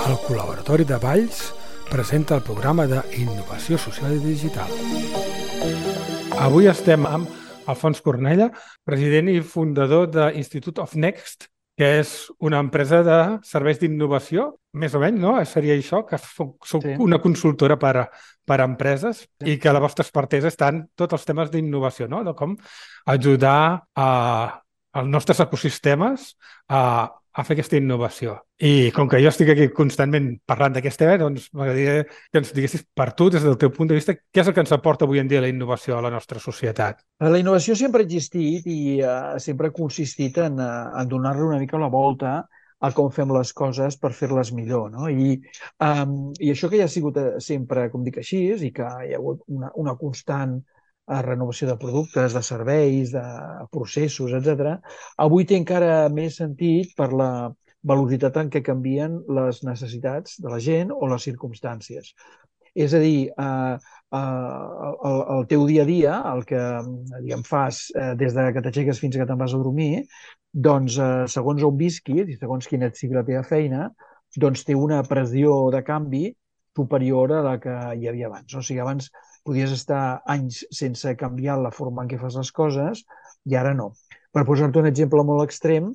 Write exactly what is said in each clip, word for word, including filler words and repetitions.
El Col·laboratori de Valls presenta el programa d'Innovació Social i Digital. Avui estem amb Alfons Cornella, president i fundador de Institute of Next, que és una empresa de serveis d'innovació, més o menys, no? Seria això, que soc Sí. una consultora per a, per a empreses Sí. i que a la vostra expertesa estan tots els temes d'innovació, no? De com ajudar a, als nostres ecosistemes a, a fer aquesta innovació. I com que jo estic aquí constantment parlant d'aquest tema, doncs m'agradaria que ens diguessis per tu, des del teu punt de vista, què és el que ens aporta avui en dia la innovació a la nostra societat? La innovació sempre ha existit i uh, sempre ha consistit en, uh, en donar-li una mica la volta a com fem les coses per fer-les millor, no? I, um, I això que ja ha sigut sempre, com dic així, i que hi ha hagut una, una constant uh, renovació de productes, de serveis, de processos, etcètera, avui té encara més sentit per la velocitat en què canvien les necessitats de la gent o les circumstàncies. És a dir, eh, eh, el, el teu dia a dia, el que diguem, fas eh, des de que t'aixeques fins que te'n vas a dormir, doncs eh, segons on visquis i segons quina sigui la teva feina, doncs té una pressió de canvi superior a la que hi havia abans. O sigui, abans podies estar anys sense canviar la forma en què fas les coses i ara no. Per posar-te un exemple molt extrem,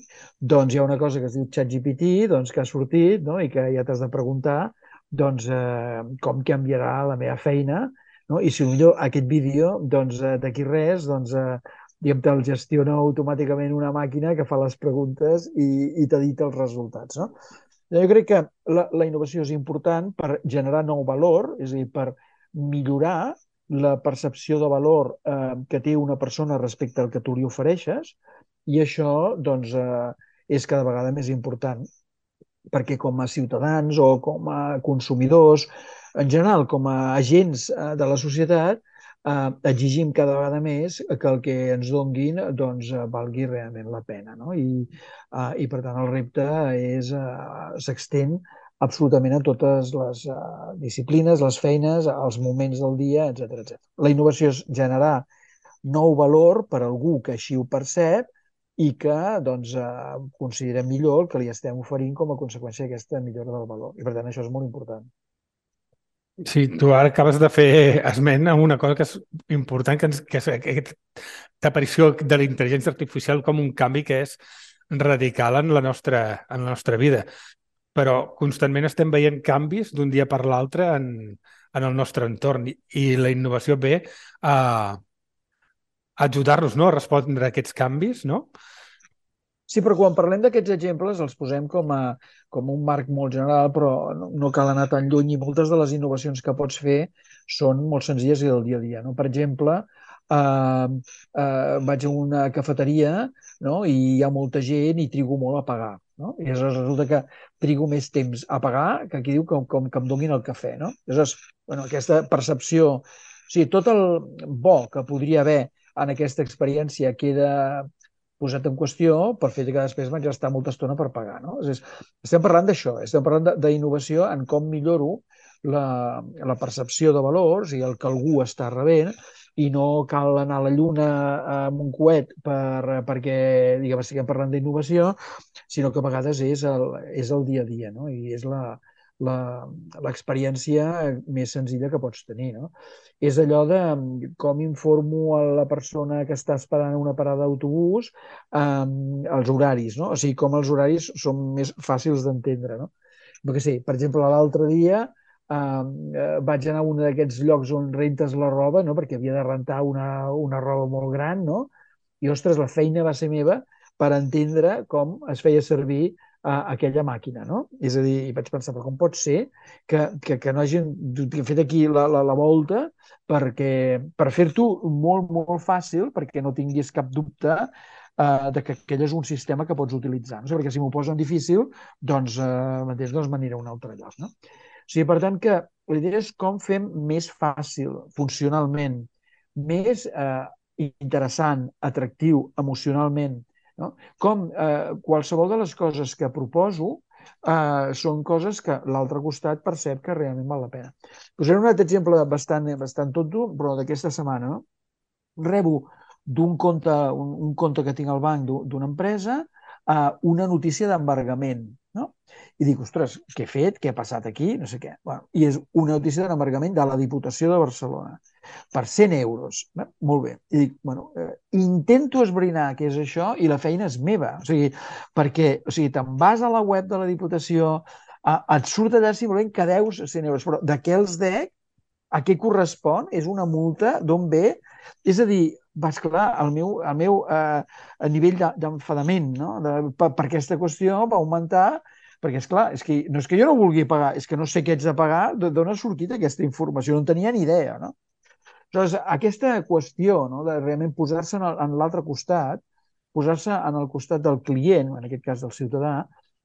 doncs hi ha una cosa que es diu ChatGPT, doncs, que ha sortit, no? I que ja t'has de preguntar doncs, eh, com canviarà la meva feina, no? I si millor aquest vídeo, doncs, eh, d'aquí res, doncs, eh, diguem, te'l gestiona automàticament una màquina que fa les preguntes i, i t'edita els resultats, no? Jo crec que la, la innovació és important per generar nou valor, és a dir, per millorar la percepció de valor eh, que té una persona respecte al que tu li ofereixes, i això, doncs, eh, és cada vegada més important, perquè com a ciutadans o com a consumidors, en general, com a agents de la societat, eh, exigim cada vegada més que el que ens donguin doncs, valgui realment la pena. No? I, eh, I, per tant, el repte és eh, s'extén absolutament a totes les eh, disciplines, les feines, els moments del dia, etcètera, etcètera. La innovació és generar nou valor per a algú que així ho percep i que doncs, eh, considerem millor el que li estem oferint com a conseqüència d'aquesta millora del valor. I per tant això és molt important. Sí, tu ara acabes de fer esment a una cosa que és important, que, ens, que és aquesta aparició de la intel·ligència artificial com un canvi que és radical en la nostra, en la nostra vida. Però constantment estem veient canvis d'un dia per l'altre en, en el nostre entorn i, i la innovació ve a, a ajudar-nos, no?, a respondre a aquests canvis, no? Sí, però quan parlem d'aquests exemples els posem com, a, com un marc molt general, però no, no cal anar tan lluny i moltes de les innovacions que pots fer són molt senzilles i del dia a dia. No? Per exemple, eh, eh, vaig a una cafeteria, no? I hi ha molta gent i trigo molt a pagar. No? I resulta que trigo més temps a pagar que aquí diu com, com que em donin el cafè. No? Aleshores, bueno, aquesta percepció, o sigui, tot el bo que podria haver en aquesta experiència queda posat en qüestió per fer que després vaig estar molta estona per pagar. No? És, estem parlant d'això, estem parlant d'innovació en com milloro la, la percepció de valors i el que algú està rebent, i no cal anar a la lluna amb un coet per, perquè diguem, estiguem parlant d'innovació, sinó que a vegades és el, és el dia a dia, no? I és la, l'experiència més senzilla que pots tenir. No? És allò de com informo a la persona que està esperant una parada d'autobús eh, els horaris, no? O sigui, com els horaris són més fàcils d'entendre. No? Perquè sí, per exemple, l'altre dia eh, vaig anar a un d'aquests llocs on rentes la roba, no? Perquè havia de rentar una, una roba molt gran, no? I, ostres, la feina va ser meva per entendre com es feia servir a aquella màquina, no? És a dir, vaig pensar, però com pot ser que, que, que no hagin fet aquí la, la, la volta perquè, per fer-t'ho molt, molt fàcil, perquè no tinguis cap dubte eh, de que aquell és un sistema que pots utilitzar. No? O sigui, perquè si m'ho posen difícil, doncs, eh, mateix, doncs m'aniré a un altre lloc. No? O sigui, per tant, que la idea és com fem més fàcil, funcionalment, més eh, interessant, atractiu, emocionalment, no? Com eh, qualsevol de les coses que proposo eh, són coses que l'altre costat percep que realment val la pena. Posaré un altre exemple bastant, bastant tonto, però d'aquesta setmana. No? Rebo d'un compte, un, un compte que tinc al banc d'una empresa eh, una notícia d'embargament. No? I dic, ostres, què he fet? Què ha passat aquí? No sé què. Bueno, I és una notícia d'embargament de la Diputació de Barcelona per cent euros. Bé, molt bé. I dic, bueno, eh, intento esbrinar què és això i la feina és meva. O sigui, perquè o sigui, te'n vas a la web de la Diputació, a, et surt allà simplement que deus cent euros, però de què els dec? A què correspon? És una multa? D'on ve? És a dir, va, esclar, el meu, el meu eh, nivell d'enfadament no? de, per, per aquesta qüestió va augmentar perquè, és clar, és que no és que jo no vulgui pagar, és que no sé què ets de pagar, d'on ha sortit aquesta informació, no en tenia ni idea, no? Aleshores, aquesta qüestió no, de realment posar-se en, en l'altre costat, posar-se en el costat del client, en aquest cas del ciutadà,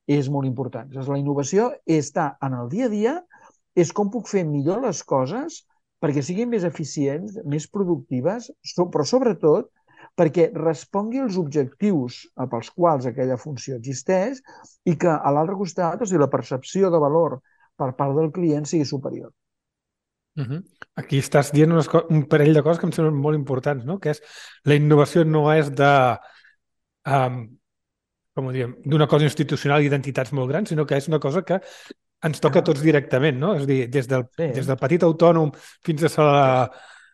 és molt important. Aleshores, la innovació està en el dia a dia, és com puc fer millor les coses perquè siguin més eficients, més productives, però sobretot perquè respongui als objectius pels quals aquella funció existeix i que a l'altre costat, o sigui, la percepció de valor per part del client sigui superior. Uh -huh. Aquí estàs dient unes un parell de coses que em semblen molt importants, no? Que és la innovació no és de, um, com ho diem, d'una cosa institucional i d'entitats molt grans, sinó que és una cosa que ens toca a Ah, tots directament, no? És a dir, des del, sí, des del petit autònom fins a, la,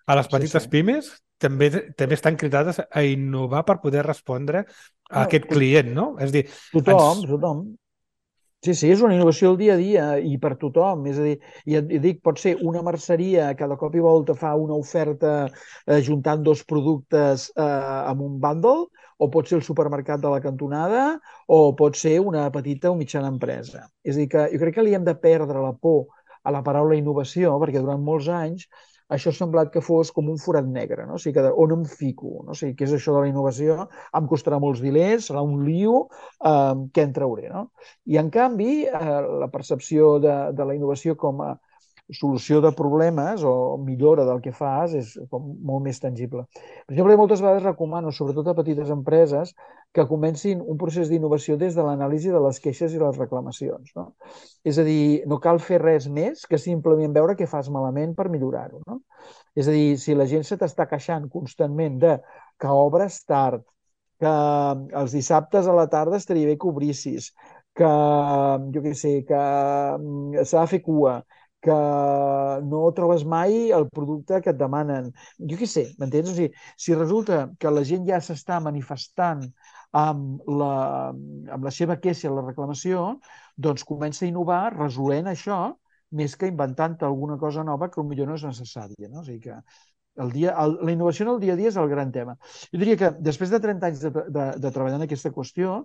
a les sí, sí. petites pimes, també, també estan cridades a innovar per poder respondre a No, aquest client, no? És a dir, tothom, ens... tothom. Sí, sí, és una innovació del dia a dia i per tothom. És a dir, i et dic, pot ser una merceria que de cop i volta fa una oferta eh, juntant dos productes eh, amb un bundle, o pot ser el supermercat de la cantonada, o pot ser una petita o mitjana empresa. És a dir, que jo crec que li hem de perdre la por a la paraula innovació, perquè durant molts anys això ha semblat que fos com un forat negre, no? O sigui, que de, on em fico? No? O sigui, què és això de la innovació? Em costarà molts diners, serà un lío, eh, què en trauré, no? I, en canvi, eh, la percepció de, de la innovació com a solució de problemes o millora del que fas és com molt més tangible. Per exemple, moltes vegades recomano, sobretot a petites empreses, que comencin un procés d'innovació des de l'anàlisi de les queixes i les reclamacions. No? És a dir, no cal fer res més que simplement veure què fas malament per millorar-ho. No? És a dir, si la gent se t'està queixant constantment de que obres tard, que els dissabtes a la tarda estaria bé que obrissis, que, jo què sé, que mm, s'ha de fer cua, que no trobes mai el producte que et demanen. Jo què sé, m'entens? O sigui, si resulta que la gent ja s'està manifestant amb la, amb la seva queixa, la reclamació, doncs comença a innovar resolent això més que inventant alguna cosa nova que potser no és necessària. No? O sigui que el dia, el, la innovació en el dia a dia és el gran tema. Jo diria que després de trenta anys de, de, de treballar en aquesta qüestió,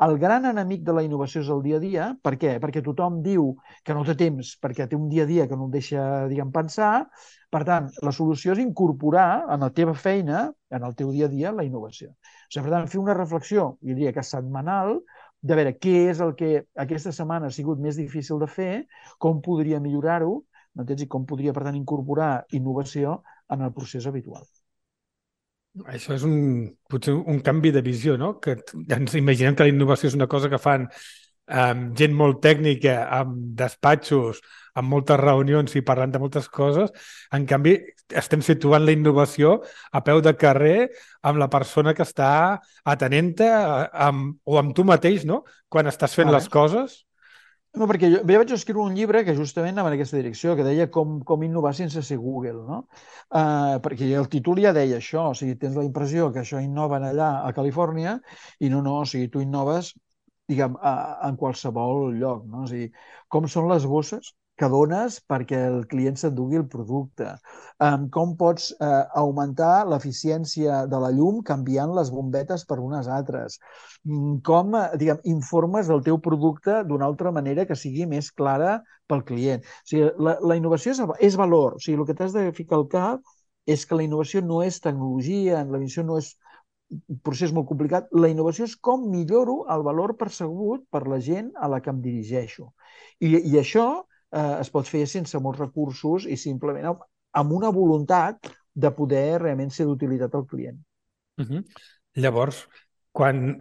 el gran enemic de la innovació és el dia a dia. Per què? Perquè tothom diu que no té temps, perquè té un dia a dia que no el deixa, diguem, pensar. Per tant, la solució és incorporar en la teva feina, en el teu dia a dia, la innovació. O sigui, per tant, fer una reflexió, jo diria que setmanal, de veure què és el que aquesta setmana ha sigut més difícil de fer, com podria millorar-ho, m'entens? I com podria, per tant, incorporar innovació en el procés habitual. Això és un, potser un canvi de visió, no? Que ens imaginem que la innovació és una cosa que fan amb gent molt tècnica, amb despatxos, amb moltes reunions i parlant de moltes coses. En canvi, estem situant la innovació a peu de carrer amb la persona que està atenent-te amb, o amb tu mateix, no? Quan estàs fent Vale. les coses. No, perquè jo, jo vaig escriure un llibre que justament anava en aquesta direcció, que deia com, com innovar sense ser Google, no? Uh, perquè el títol ja deia això, o sigui, tens la impressió que això innoven allà a Califòrnia i no, no, o sigui, tu innoves, diguem, a, en qualsevol lloc, no? O sigui, com són les bosses que dones perquè el client s'endugui el producte, um, com pots uh, augmentar l'eficiència de la llum canviant les bombetes per unes altres, com, diguem, informes del teu producte d'una altra manera que sigui més clara pel client. O sigui, la, la innovació és, és valor. O sigui, el que t'has de ficar al cap és que la innovació no és tecnologia, la innovació no és un procés molt complicat. La innovació és com milloro el valor percebut per la gent a la que em dirigeixo. I, i això eh, es pot fer sense molts recursos i simplement amb, amb una voluntat de poder realment ser d'utilitat al client. Uh -huh. Llavors, quan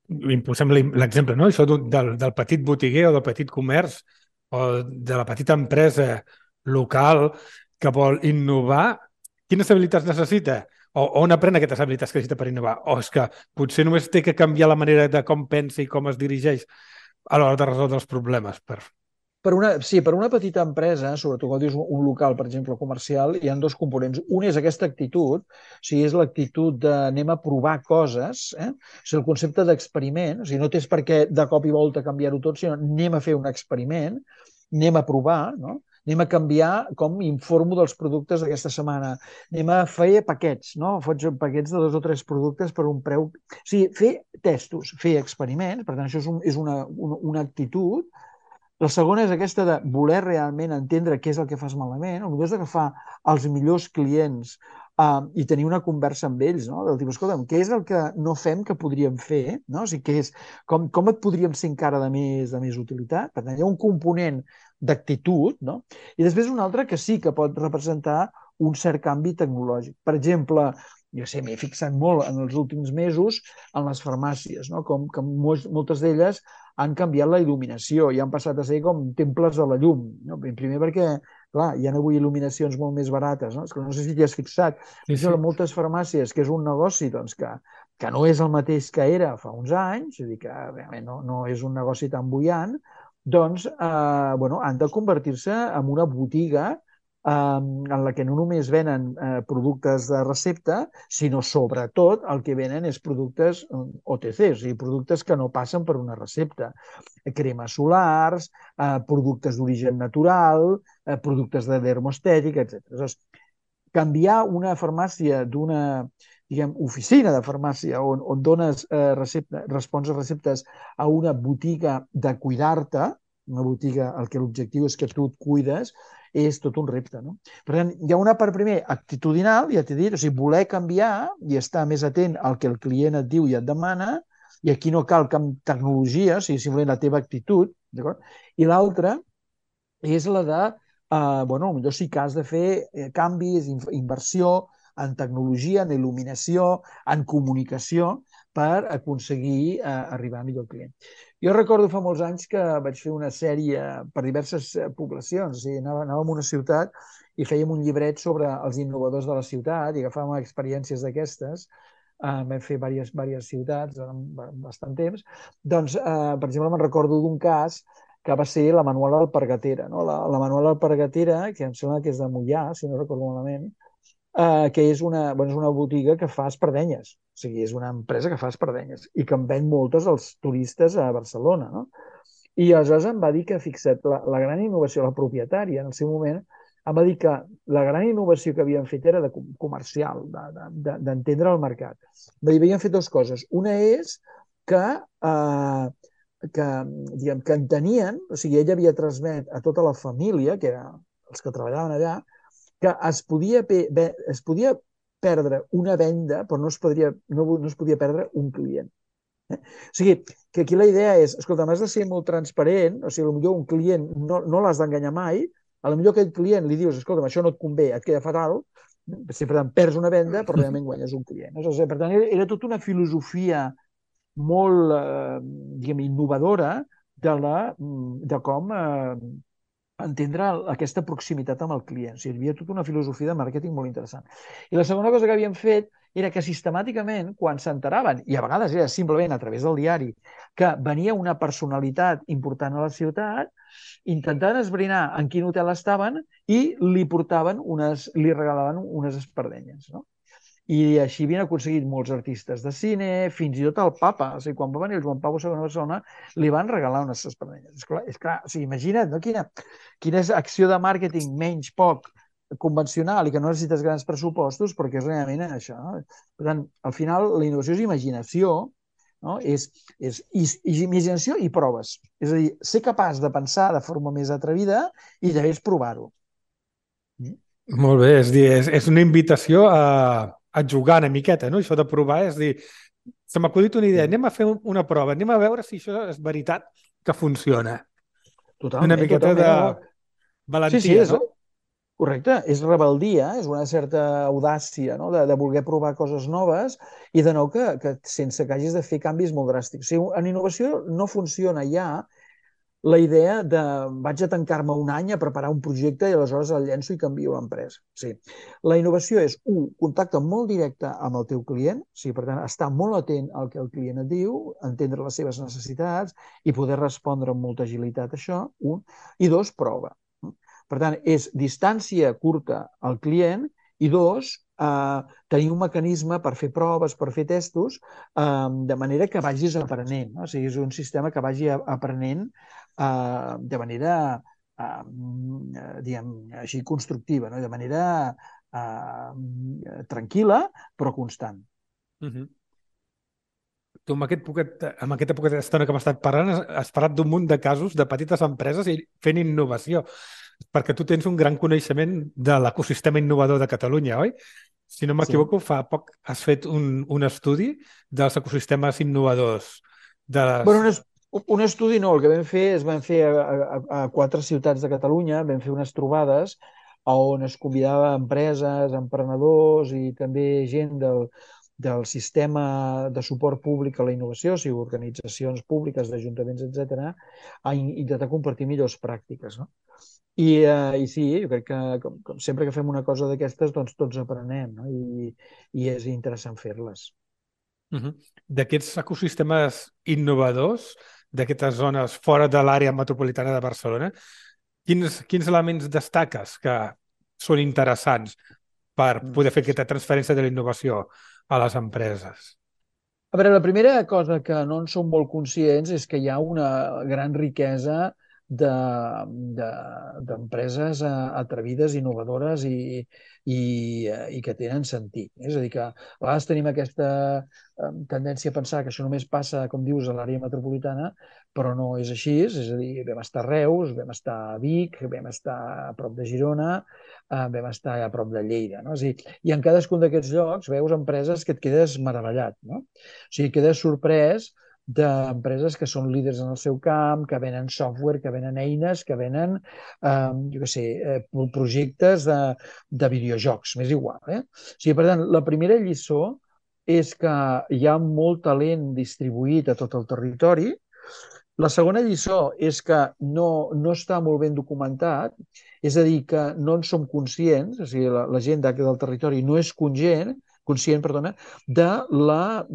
impulsem l'exemple, no? Això del, del petit botiguer o del petit comerç o de la petita empresa local que vol innovar, quines habilitats necessita? O on aprèn aquestes habilitats que necessita per innovar? O és que potser només té que canviar la manera de com pensa i com es dirigeix a l'hora de resoldre els problemes. Per... Per una, sí, per una petita empresa, sobretot quan dius un local, per exemple, comercial, hi ha dos components. Un és aquesta actitud, o sigui, és l'actitud de anem a provar coses, eh? O sigui, el concepte d'experiment, o sigui, no tens per què de cop i volta canviar-ho tot, sinó anem a fer un experiment, anem a provar, no? Anem a canviar com informo dels productes d'aquesta setmana. Anem a fer paquets, no? Faig paquets de dos o tres productes per un preu... O sigui, fer testos, fer experiments, per tant, això és, un, és una, una, una actitud. La segona és aquesta de voler realment entendre què és el que fas malament, o millor és agafar els millors clients uh, i tenir una conversa amb ells, no? Del tipus, escolta'm, què és el que no fem que podríem fer? No? O sigui, què és, com, com et podríem ser encara de més, de més utilitat? Per tant, hi ha un component d'actitud, no? I després un altre que sí que pot representar un cert canvi tecnològic. Per exemple, jo sé, m'he fixat molt en els últims mesos en les farmàcies, no? Com que moltes d'elles han canviat la il·luminació i han passat a ser com temples de la llum. No? Primer perquè, clar, hi ha avui il·luminacions molt més barates. No? És que no sé si t'hi has fixat. Sí, Això, sí. moltes farmàcies, que és un negoci doncs, que, que no és el mateix que era fa uns anys, és a dir, que realment no, no és un negoci tan bullant, doncs eh, bueno, han de convertir-se en una botiga en la que no només venen eh, productes de recepta, sinó sobretot el que venen és productes O T C, o sigui, productes que no passen per una recepta. Cremes solars, eh, productes d'origen natural, eh, productes de dermostètica, etcètera. Aleshores, canviar una farmàcia d'una diguem, oficina de farmàcia on, on dones eh, recepta, respons a receptes a una botiga de cuidar-te, una botiga el que l'objectiu és que tu et cuides, és tot un repte. No? Per tant, hi ha una part primer actitudinal, ja t'he dit, o sigui, voler canviar i estar més atent al que el client et diu i et demana, i aquí no cal cap tecnologia, o sigui, simplement la teva actitud, d'acord? I l'altra és la de, eh, bueno, potser sí que has de fer eh, canvis, inversió en tecnologia, en il·luminació, en comunicació, per aconseguir eh, arribar millor al client. Jo recordo fa molts anys que vaig fer una sèrie per diverses poblacions, o sigui, anava, anàvem a una ciutat i fèiem un llibret sobre els innovadors de la ciutat i agafàvem experiències d'aquestes, uh, vam fer diverses, diverses ciutats en bastant temps, doncs, uh, per exemple, me'n recordo d'un cas que va ser la Manuela Alpargatera. No? La, la Manuela Alpargatera, que em sembla que és de Mollà, si no recordo malament, Uh, que és una, bueno, és una botiga que fa espardenyes, o sigui, és una empresa que fa espardenyes i que en ven moltes als turistes a Barcelona, no? I aleshores em va dir que, fixa't, la, la gran innovació, la propietària en el seu moment, em va dir que la gran innovació que havien fet era de comercial, d'entendre de, de, el mercat. Va dir, havien fet dues coses. Una és que, uh, que, diguem, que entenien, o sigui, ella havia transmet a tota la família, que eren els que treballaven allà, que es podia, es podia perdre una venda, però no es, podria, no, no es podia perdre un client. Eh? O sigui, que aquí la idea és, escolta, has de ser molt transparent, o sigui, potser un client no, no l'has d'enganyar mai, a lo millor aquell client li dius, escolta, això no et convé, et queda fatal, sempre perds una venda, però realment guanyes un client. O sigui, per tant, era, era tota una filosofia molt, eh, diguem, innovadora de, la, de com eh, entendre aquesta proximitat amb el client. O sigui, hi havia tota una filosofia de màrqueting molt interessant. I la segona cosa que havien fet era que sistemàticament, quan s'enteraven, i a vegades era simplement a través del diari, que venia una personalitat important a la ciutat, intentaven esbrinar en quin hotel estaven i li portaven unes, li regalaven unes espardenyes, no? I així havien aconseguit molts artistes de cine, fins i tot el papa. O sigui, quan va venir el Joan Pau segon a Barcelona, li van regalar unes espardenyes. És clar, és clar, o sigui, imagina't, no? Quina, quina és acció de màrqueting menys poc convencional i que no necessites grans pressupostos perquè és realment això. No? Per tant, al final, la innovació és imaginació, no? És, és, és, és imaginació i proves. És a dir, ser capaç de pensar de forma més atrevida i després provar-ho. Mm? Molt bé, és dir, és, és una invitació a, a jugar una miqueta, no? Això de provar, és dir, se m'ha acudit una idea, anem a fer una prova, anem a veure si això és veritat que funciona. Una Totalment, miqueta totalment. de No? Sí, sí, valentia, és, no? correcte, és rebeldia, és una certa audàcia, no? de, de voler provar coses noves i de nou que, que sense que hagis de fer canvis molt dràstics. O sigui, en innovació no funciona ja la idea de vaig a tancar-me un any a preparar un projecte i aleshores el llenço i canvio l'empresa. Sí. La innovació és, un, contacte molt directe amb el teu client, sí, per tant, estar molt atent al que el client et diu, entendre les seves necessitats i poder respondre amb molta agilitat a això, un, i dos, prova. Per tant, és distància curta al client i dos, eh, tenir un mecanisme per fer proves, per fer testos, eh, de manera que vagis aprenent. No? O sigui, és un sistema que vagi aprenent eh, de manera eh, diguem, així constructiva, no? De manera eh, tranquil·la però constant. Uh -huh. Tu amb, aquest poquet, amb aquesta poqueta estona que m'has estat parlant has, has parlat d'un munt de casos de petites empreses i fent innovació, perquè tu tens un gran coneixement de l'ecosistema innovador de Catalunya, oi? Si no Sí. m'equivoco, fa poc has fet un, un estudi dels ecosistemes innovadors de Bueno, les... un, es, un estudi no, el que vam fer es van fer a, a, a quatre ciutats de Catalunya, vam fer unes trobades on es convidava empreses, emprenedors i també gent del, del sistema de suport públic a la innovació, o sigui, organitzacions públiques, d'ajuntaments, etcètera, a in- intentar compartir millors pràctiques. No? I, eh, I sí, jo crec que com, com sempre que fem una cosa d'aquestes, doncs tots aprenem, no? I, i és interessant fer-les. Uh -huh. D'aquests ecosistemes innovadors, d'aquestes zones fora de l'àrea metropolitana de Barcelona, quins, quins elements destaques que són interessants per Mm. poder fer aquesta transferència de la innovació a les empreses? A veure, la primera cosa que no en som molt conscients és que hi ha una gran riquesa de- de- d'empreses eh, atrevides, innovadores i, i, eh, i que tenen sentit. És a dir, que a vegades tenim aquesta eh, tendència a pensar que això només passa, com dius, a l'àrea metropolitana, però no és així. És a dir, vam estar a Reus, vam estar a Vic, vam estar a prop de Girona, eh, vam estar a prop de Lleida. No? És a dir, i en cadascun d'aquests llocs veus empreses que et quedes meravellat. No? O sigui, quedes sorprès d'empreses que són líders en el seu camp, que venen software, que venen eines, que venen, eh, jo què sé, eh, projectes de, de videojocs, m'és igual. Eh? O sigui, per tant, la primera lliçó és que hi ha molt talent distribuït a tot el territori. La segona lliçó és que no, no està molt ben documentat, és a dir, que no en som conscients, o sigui, la, la gent del territori no és conscient, conscient, perdona, de la,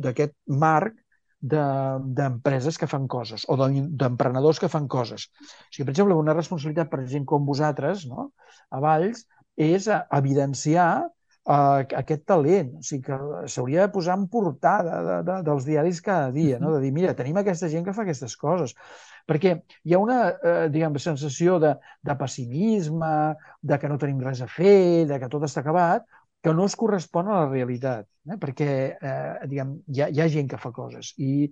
d'aquest marc d'empreses de, que fan coses o d'emprenedors que fan coses. O sigui, per exemple, una responsabilitat per gent com vosaltres, no? A Valls, és evidenciar uh, aquest talent. O sigui, que s'hauria de posar en portada de, de, dels diaris cada dia, no? De dir, mira, tenim aquesta gent que fa aquestes coses. Perquè hi ha una, eh, diguem, sensació de, de pessimisme, de que no tenim res a fer, de que tot està acabat, que no es correspon a la realitat, eh? Perquè eh, diguem, hi, ha, hi ha gent que fa coses i,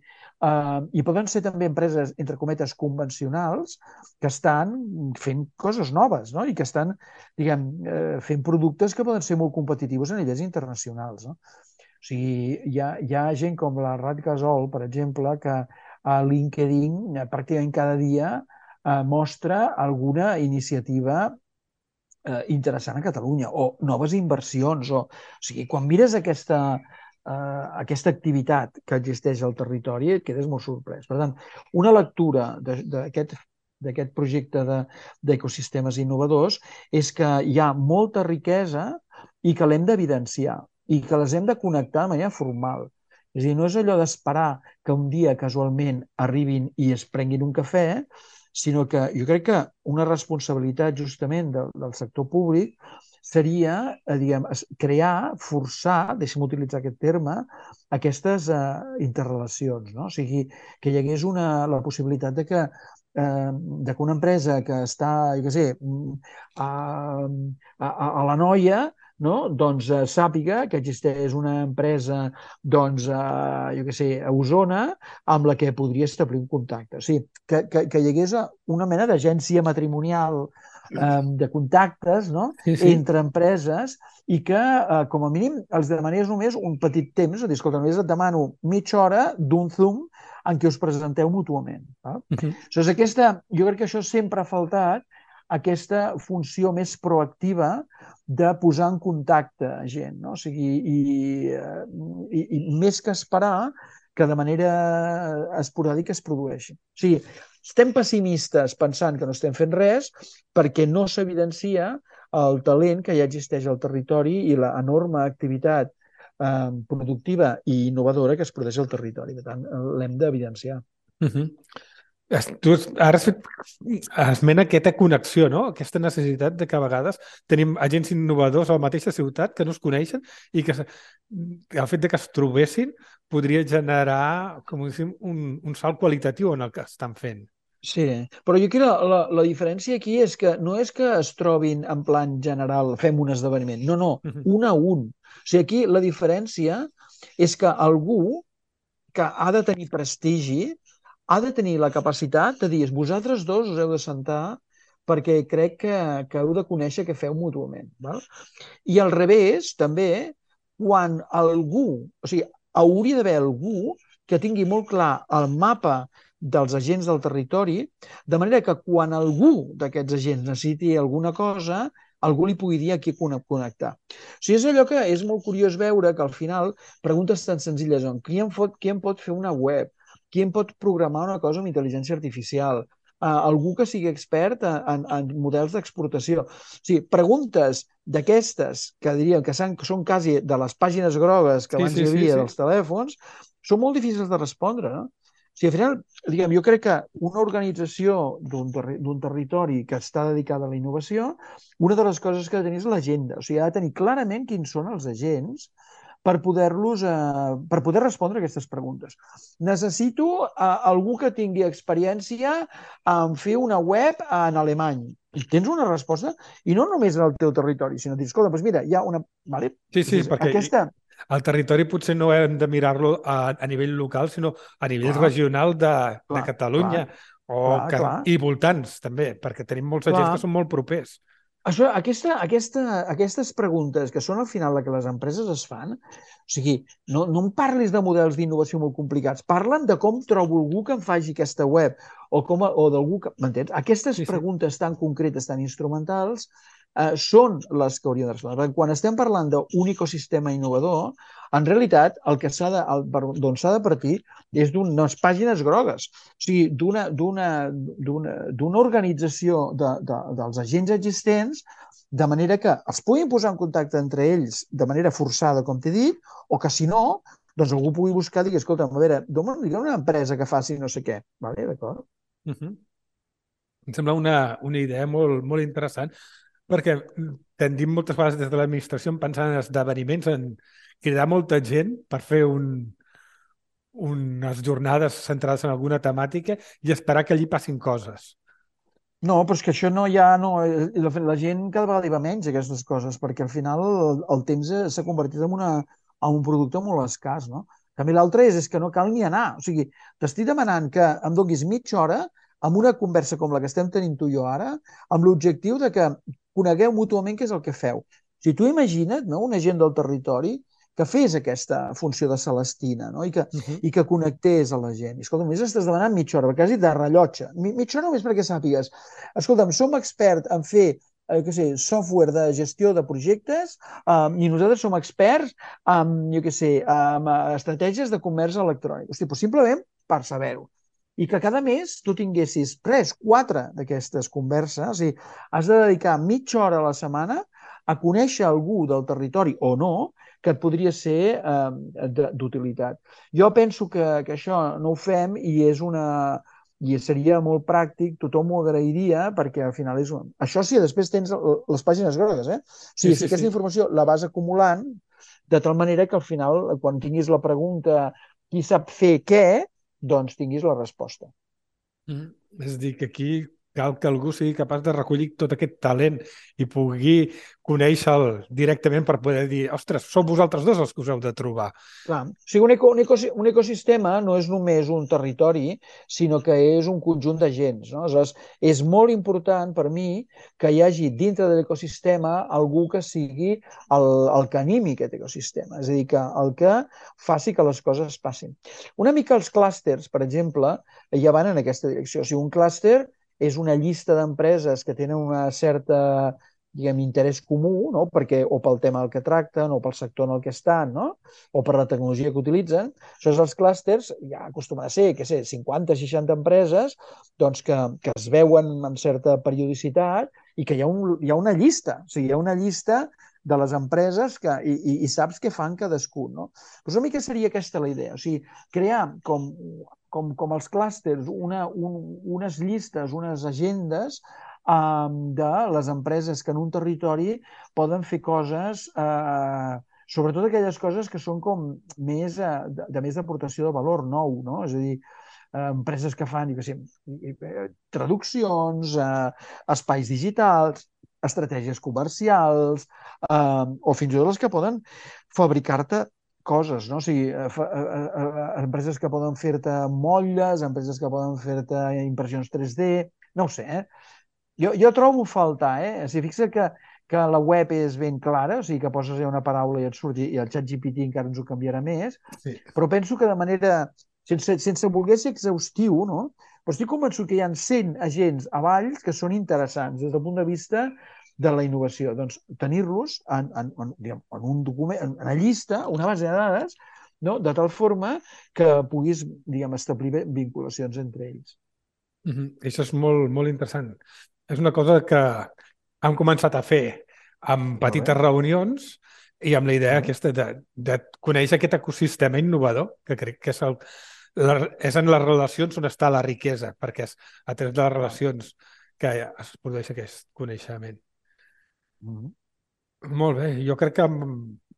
eh, i poden ser també empreses, entre cometes, convencionals que estan fent coses noves, no? I que estan diguem, eh, fent productes que poden ser molt competitius a nivells internacionals. No? O sigui, hi ha, hi ha gent com la Rat Gasol, per exemple, que a LinkedIn eh, pràcticament cada dia eh, mostra alguna iniciativa eh, interessant a Catalunya o noves inversions. O, o sigui, quan mires aquesta, eh, aquesta activitat que existeix al territori et quedes molt sorprès. Per tant, una lectura d'aquest d'aquest projecte d'ecosistemes de, innovadors és que hi ha molta riquesa i que l'hem d'evidenciar i que les hem de connectar de manera formal. És a dir, no és allò d'esperar que un dia casualment arribin i es prenguin un cafè, sinó que jo crec que una responsabilitat justament del, del sector públic seria, eh, diguem, crear, forçar, deixem utilitzar aquest terme, aquestes eh, interrelacions, no? O sigui, que hi hagués una, la possibilitat de que, eh, de que una empresa que està, jo què sé, a, a, a la Noia, no? Doncs eh, sàpiga que existeix una empresa doncs, eh, jo què sé, a Osona amb la que podria establir un contacte. O sigui, que, que, que hi hagués una mena d'agència matrimonial eh, de contactes, no? Sí, sí. Entre empreses i que, eh, com a mínim, els demanés només un petit temps, és a dir, escolta, només et demano mitja hora d'un Zoom en què us presenteu mútuament. Eh? Uh -huh. Llavors, aquesta, jo crec que això sempre ha faltat, aquesta funció més proactiva de posar en contacte gent, no? O sigui, i, i, i més que esperar que de manera esporàdica es produeixi. O sigui, estem pessimistes pensant que no estem fent res perquè no s'evidencia el talent que ja existeix al territori i l'enorme activitat eh, productiva i innovadora que es produeix al territori. Per tant, l'hem d'evidenciar. Uh -huh. Tu ara has fet esment aquesta connexió, no? Aquesta necessitat de que a vegades tenim agents innovadors a la mateixa ciutat que no es coneixen i que el fet de que es trobessin podria generar, com diguéssim, un, un salt qualitatiu en el que estan fent. Sí, però jo crec que la, la, la diferència aquí és que no és que es trobin en plan general, fem un esdeveniment, no, no, Uh -huh. un a un. O sigui, aquí la diferència és que algú que ha de tenir prestigi ha de tenir la capacitat de dir vosaltres dos us heu de sentar perquè crec que, que heu de conèixer què feu mútuament. Val? I al revés, també, quan algú, o sigui, hauria d'haver algú que tingui molt clar el mapa dels agents del territori, de manera que quan algú d'aquests agents necessiti alguna cosa, algú li pugui dir a qui connectar. O sigui, és allò que és molt curiós veure que al final preguntes tan senzilles com qui em pot, qui em pot fer una web, qui em pot programar una cosa amb intel·ligència artificial, uh, algú que sigui expert en, en, en models d'exportació. O sigui, preguntes d'aquestes que diríem que, que són quasi de les pàgines grogues que Sí, abans sí, hi sí, havia sí. dels telèfons, són molt difícils de respondre, no? O sigui, al final, diguem, jo crec que una organització d'un terri territori que està dedicada a la innovació, una de les coses que ha de tenir és l'agenda. O sigui, ha de tenir clarament quins són els agents per poder-los, eh, per poder respondre a aquestes preguntes. Necessito eh, algú que tingui experiència en fer una web en alemany. I tens una resposta, i no només en el teu territori, sinó dir, escolta, doncs mira, hi ha una... Vale? Sí, sí, Dius, perquè aquesta... el territori potser no hem de mirar-lo a, a nivell local, sinó a nivell Clar, regional de, de clar, Catalunya clar, o clar, que, clar, i voltants, també, perquè tenim molts agents que clar. són molt propers. Això, aquesta, aquesta, aquestes preguntes que són al final la que les empreses es fan, o sigui, no, no em parlis de models d'innovació molt complicats, parlen de com trobo algú que em faci aquesta web o, com, o d'algú que... M'entens? Aquestes Sí, sí. preguntes tan concretes, tan instrumentals, eh, són les que haurien de respondre. Quan estem parlant d'un ecosistema innovador, en realitat el que s'ha de, d'on s'ha de partir és d'unes pàgines grogues, o sigui, d'una d'una organització de, de, dels agents existents, de manera que els puguin posar en contacte entre ells de manera forçada, com t'he dit, o que si no, doncs algú pugui buscar i dir, escolta, a veure, digue'm una empresa que faci no sé què. Vale, d'acord? Uh -huh. Em sembla una, una idea molt, molt interessant, perquè tendim moltes vegades des de l'administració pensant en esdeveniments, en cridar molta gent per fer un, unes jornades centrades en alguna temàtica i esperar que allí passin coses. No, però és que això no hi ha... No, la, la gent cada vegada hi va menys, aquestes coses, perquè al final el, el temps s'ha convertit en, una, en un producte molt escàs, no? També l'altre és, és que no cal ni anar. O sigui, t'estic demanant que em donis mitja hora amb una conversa com la que estem tenint tu i jo ara, amb l'objectiu de que conegueu mútuament què és el que feu. Si tu imagina't, no?, un agent del territori que fes aquesta funció de Celestina, no?, I que, Uh -huh. i que connectés a la gent. I, escolta, només estàs demanant mitja hora, quasi de rellotge. Mitja hora només perquè sàpigues. Escolta'm, som experts en fer eh, què sé, software de gestió de projectes um, i nosaltres som experts en, jo què sé, en estratègies de comerç electrònic. Hosti, doncs simplement per saber-ho. I que cada mes tu tinguessis tres, quatre d'aquestes converses, o sigui, has de dedicar mitja hora a la setmana a conèixer algú del territori o no que et podria ser eh, d'utilitat. Jo penso que, que això no ho fem i és una... i seria molt pràctic, tothom ho agrairia perquè al final és... Un... Això sí, després tens les pàgines grogues, eh? O sigui, Sí, si sí, aquesta sí. informació la vas acumulant, de tal manera que al final, quan tinguis la pregunta qui sap fer què, doncs tinguis la resposta. Mm. És a dir, que aquí cal que algú sigui capaç de recollir tot aquest talent i pugui conèixer-lo directament per poder dir, ostres, sou vosaltres dos els que us heu de trobar. Clar. O sigui, un, eco, un, eco, un ecosistema no és només un territori, sinó que és un conjunt d'agents, no? Aleshores, és molt important per mi que hi hagi dintre de l'ecosistema algú que sigui el, el que animi aquest ecosistema, és a dir, que el que faci que les coses passin. Una mica els clústers, per exemple, ja van en aquesta direcció. O sigui, un clúster és una llista d'empreses que tenen una certa diguem, interès comú, no? Perquè, o pel tema del que tracten, o pel sector en el que estan, no? O per la tecnologia que utilitzen. Això és els clústers, ja acostuma a ser, què sé, cinquanta, seixanta empreses doncs que, que es veuen amb certa periodicitat i que hi ha, un, hi ha una llista, o sigui, hi ha una llista de les empreses que, i, i, i saps què fan cadascun, no? Doncs una mica seria aquesta la idea, o sigui, crear com, com, com els clústers, una, un, unes llistes, unes agendes um, de les empreses que en un territori poden fer coses, eh, sobretot aquelles coses que són com més eh, de, de més d'aportació de valor nou, no? És a dir, eh, empreses que fan, jo què sé, eh, traduccions, eh, espais digitals, estratègies comercials, eh, o fins i tot les que poden fabricar-te coses, no? O sigui, eh, fa, eh, eh, empreses que poden fer-te motlles, empreses que poden fer-te impressions tres D, no ho sé, eh? Jo, jo trobo a faltar, eh? O sigui, fixa't que, que la web és ben clara, o sigui, que poses una paraula i et surt, i el xat G P T encara ens ho canviarà més, Sí. però penso que de manera, sense, sense voler ser exhaustiu, no? Però estic convençut que hi ha cent agents a Valls que són interessants des del punt de vista de la innovació. Doncs tenir-los en, en, en, diguem, en un document, en una llista, una base de dades, no? De tal forma que puguis, diguem, establir vinculacions entre ells. Mhm. Això és molt, molt interessant. És una cosa que hem començat a fer amb Molt bé, petites reunions i amb la idea molt bé. aquesta de, de conèixer aquest ecosistema innovador, que crec que és, el, la, és en les relacions on està la riquesa, perquè és a través de les Clar. relacions que es produeix aquest coneixement. Mm-hmm. Molt bé, jo crec que amb,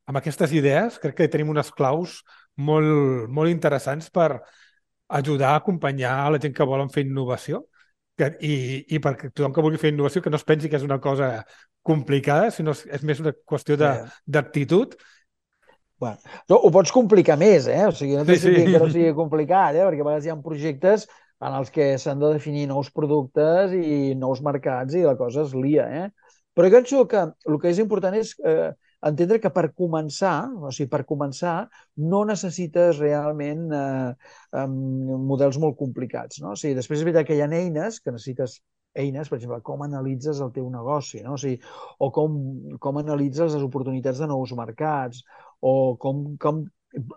amb aquestes idees crec que tenim unes claus molt, molt interessants per ajudar a acompanyar a la gent que volen fer innovació que, i, i perquè tothom que vulgui fer innovació que no es pensi que és una cosa complicada, sinó és, és més una qüestió de- Bé, d'actitud. bueno, no, ho pots complicar més, eh? O sigui, no Sí, t'estic sí. dient que no sigui complicat, eh? Perquè a vegades hi ha projectes en els que s'han de definir nous productes i nous mercats i la cosa es lia, eh? Però jo penso que el que és important és eh, entendre que per començar, o sigui, per començar, no necessites realment eh, um, models molt complicats, no? O sigui, després és veritat que hi ha eines que necessites eines, per exemple, com analitzes el teu negoci, no? O sigui, o com, com analitzes les oportunitats de nous mercats, o com, com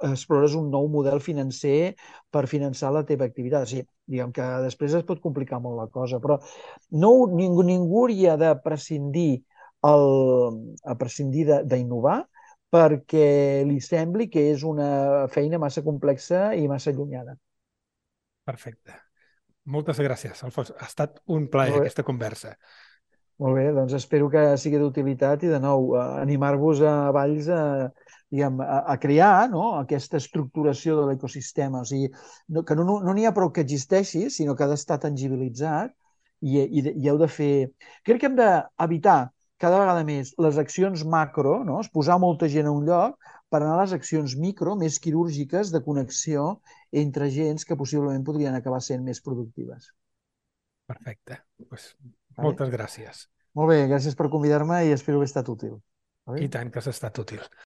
explores un nou model financer per finançar la teva activitat. O sigui, diguem que després es pot complicar molt la cosa, però no, ningú, ningú hauria de prescindir, el, a prescindir d'innovar perquè li sembli que és una feina massa complexa i massa allunyada. Perfecte. Moltes gràcies, Alfons. Ha estat un plaer Molt bé, aquesta conversa. molt bé, doncs espero que sigui d'utilitat i de nou eh, animar-vos a Valls a, diguem, a, a crear, no? Aquesta estructuració de l'ecosistema. O sigui, no, que no n'hi no, no ha prou que existeixi, sinó que ha d'estar tangibilitzat i, i, i heu de fer... Crec que hem d'evitar cada vegada més les accions macro, no? Es posar molta gent a un lloc per anar a les accions micro, més quirúrgiques, de connexió entre gens que possiblement podrien acabar sent més productives. Perfecte. Pues, Vale? moltes gràcies. Molt bé, gràcies per convidar-me i espero haver estat útil. I Vale? tant que has estat útil.